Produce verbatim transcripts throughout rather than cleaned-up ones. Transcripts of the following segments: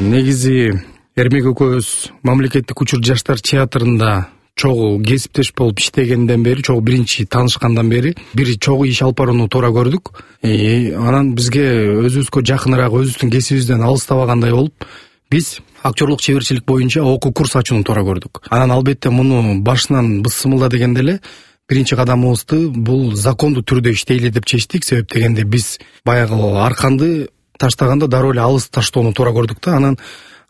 Негизи Эрмек экөөбүз мамлекеттик учур жаштар театрында чогуу кесиптеш болуп иштегенден бери, чогуу биринчи таанышкандан бери бир чогуу иш алып барууну туура көрдүк. Анан бизге өзүбүзгө жакыныраак, өзүбүздүн кесибибизден алыстабагандай болуп, биз актерлук чеберчилик боюнча окуу курс ачууну туура көрдүк. Анан албетте муну башынан бысымылда дегенде эле биринчи кадамыбызды бул закондуу түрдө иштейли деп чечтик. Себеп дегенде биз баягы арканды таштаганда дароо эле алыс таштоону туура көрдүк да. Анан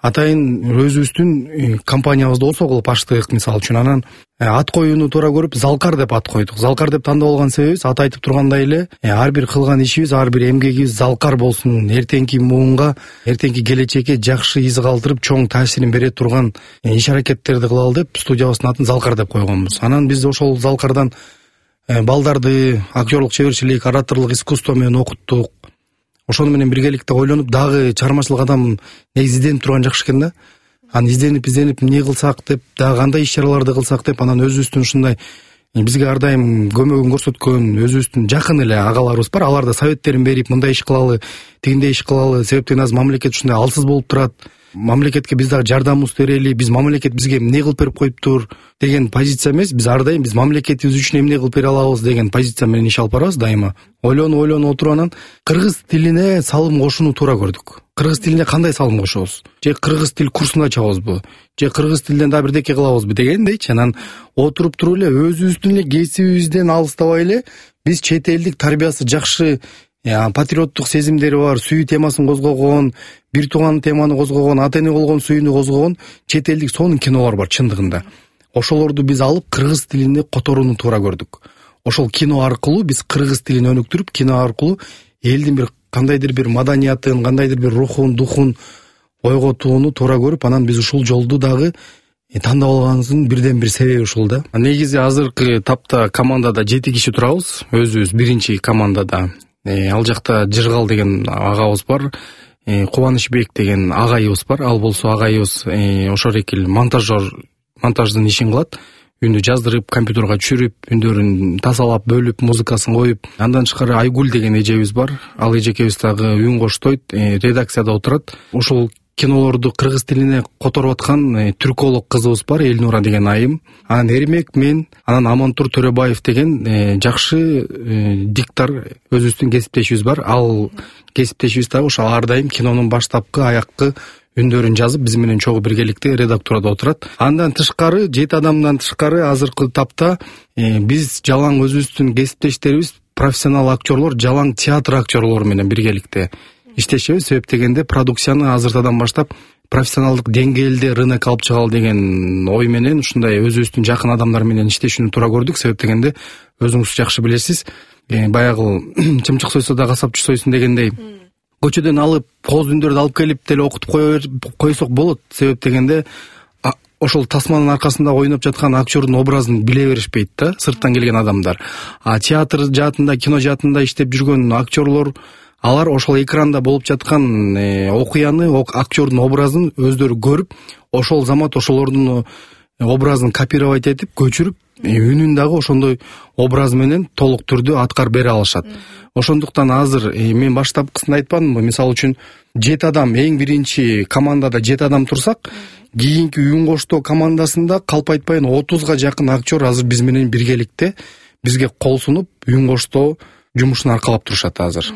атайын өзүбүздүн компаниябызды осо кылып ачтык, мисалы үчүн. Анан ат коюуну туура көрүп, Залкар деп ат койдук. Залкар деп тандап алган себебибиз аты айтып тургандай эле, ар бир кылган ишибиз, ар бир эмгегибиз залкар болсун, эртеңки муунга, эртеңки келечекке жакшы из калтырып, чоң таасирин бере турган иш аракеттерди кылалы деп студиябыздын атын Залкар деп койгонбуз. Анан биз ошол Залкардан балдарды актерлук чеберчилик, ораторлук искусство менен окуттук. Ошону менен биргеликте ойлонуп, дагы чыгармачылык адам негизи изденип турган жакшы экен да. Анан изденип изденип эмне кылсак деп, дагы кандай иш чараларды кылсак деп, анан өзүбүздүн ушундай бизге ар дайым көмөгүн көрсөткөн өзүбүздүн жакын эле агаларыбыз бар. Алар да советтерин берип, мындай иш кылалы, тигиндей иш кылалы, себептен азыр мамлекет ушундай алсыз болуп турат. Мамлекетке биз дагы жардамыбызды берели, биз мамлекет бизге эмне кылып берип коюптур деген позиция эмес, биз ар дайым биз мамлекетибиз үчүн эмне кылып бере алабыз деген позиция менен иш алып барабыз дайыма. Ойлонуп ойлонуп отуруп анан кыргыз тилине салым кошууну туура көрдүк. Кыргыз тилине кандай салым кошобуз? Же кыргыз тил курсун ачабызбы? Же кыргыз тилден да бирдеке кылабызбы дегендейчи. Анан отуруп туруп эле өзүбүздүн эле кесибибизден алыстабай эле биз чет элдик тарбиясы жакшы, патриоттук сезимдери бар, сүйүү темасын козгогон, бир тууган теманы козгогон, ата эне болгон сүйүүнү козгогон чет элдик сонун кинолор бар чындыгында. Ошолорду биз алып кыргыз тилине которууну туура көрдүк. Ошол кино аркылуу биз кыргыз тилин өнүктүрүп, кино аркылуу элдин бир кандайдыр бир маданиятын, кандайдыр бир рухун, духун ойготууну туура көрүп, анан биз ушул жолду дагы тандап алганыбыздын бирден бир себеби ушул да. Негизи азыркы тапта командада жети киши турабыз. Өзүбүз биринчи командада. Ал жакта Жыргал деген агабыз бар, Кубанычбек деген агайыбыз бар. Ал болсо агайыбыз ошол экил монтажер, монтаждын ишин кылат. Үндү жаздырып, компьютерга түшүрүп, үндөрүн тазалап, бөлүп, музыкасын коюп. Андан тышкары Айгүл деген эжебиз бар. Ал эжекебиз дагы үн коштойт, редакцияда отурат. Ошол кинолорду кыргыз тилине которуп аткан түрколог кызыбыз бар, Элнура деген айым. Анан Эрмек, мен, анан Амантур Төрөбаев деген жакшы диктор өзүбүздүн кесиптешибиз бар. Ал кесиптешибиз дагы ошо ар дайым кинонун баштапкы, аяккы үндөрүн жазып, биз менен чогуу биргеликте редактурада отурат. Андан тышкары, жети адамдан тышкары азыркы тапта биз жалаң өзүбүздүн кесиптештерибиз, профессионал актерлор, жалаң театр актерлору менен биргеликте иштешебиз. Себеп дегенде продукцияны азыртадан баштап профессионалдык деңгээлде рынок алып чыгалы деген ой менен ушундай өзүбүздүн жакын адамдар менен иштешүүнү туура көрдүк. Себеп дегенде өзүңүз жакшы билесиз, баягы чымчык сойсо да касапчы сойсун дегендей көчөдөн алып, кооз үндөрдү алып келип деле окутуп койсок болот. Себеп дегенде ошол тасманын аркасында ойноп жаткан актердун образын биле беришпейт да, сырттан келген адамдар. А театр жаатында, кино жаатында иштеп жүргөн актерлор, алар ошол экранда болуп жаткан окуяны, актердун образын өздөрү көрүп, ошол замат ошолордун образын копировать этип, көчүрүп, үнүн дагы ошондой образ менен толук түрдө аткарып бере алышат. Ошондуктан азыр мен баштапкысында айтпадымбы, мисалы үчүн жети адам, эң биринчи командада жети адам турсак, кийинки үн коштоо командасында калп айтпайын отузга жакын актер азыр биз менен биргеликте бизге кол сунуп, үн коштоо жумушун аркалап турушат азыр.